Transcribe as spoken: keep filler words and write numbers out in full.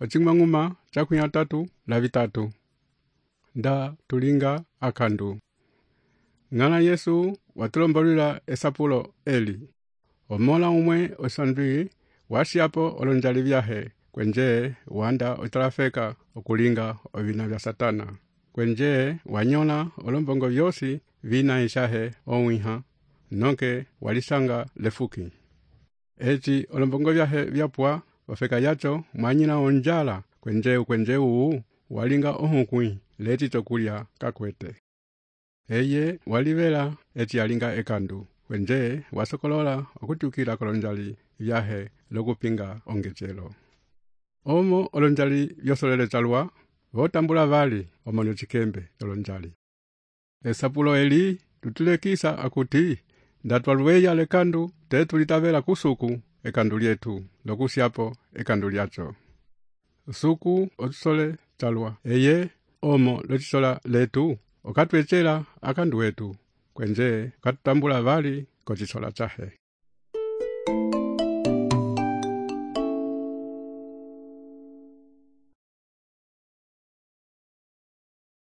ocimang'uma chakwi atatu la vitatu. Nda tulinga akandu. Ng'ana Yesu watulombolila esapulo eli. Omola umwe osandwi washiapo olonjali vyahe. Kwenje wanda otalafeka okulinga ovina vya Satana. Kwenje wanyola olombongo vyosi vina ishahe owiha. Noke walisanga lefuki. Eti olombongo vyahe vyapwa wafeka yacho mwanyina onjala. Kwenje kwenje uu walinga ohukwi leti tokulia kakwete. Eye walivela eti alinga ekandu. Kwenje wasokolola okutukila kolonjali vyahe lokupinga ongechelo. Omo olonjali vyosolele chalwa votambula vali omonyo chikembe olonjali. Esapulo eli tutulekisa akuti ndatwaluweya lekandu tetu litavela kusuku ekandu lietu lokusyapo ekandu liacho. Suku otusole chalwa eye omo lotisola letu okatwechela akandu wetu. Kwenje katutambula vali kochisola chahe.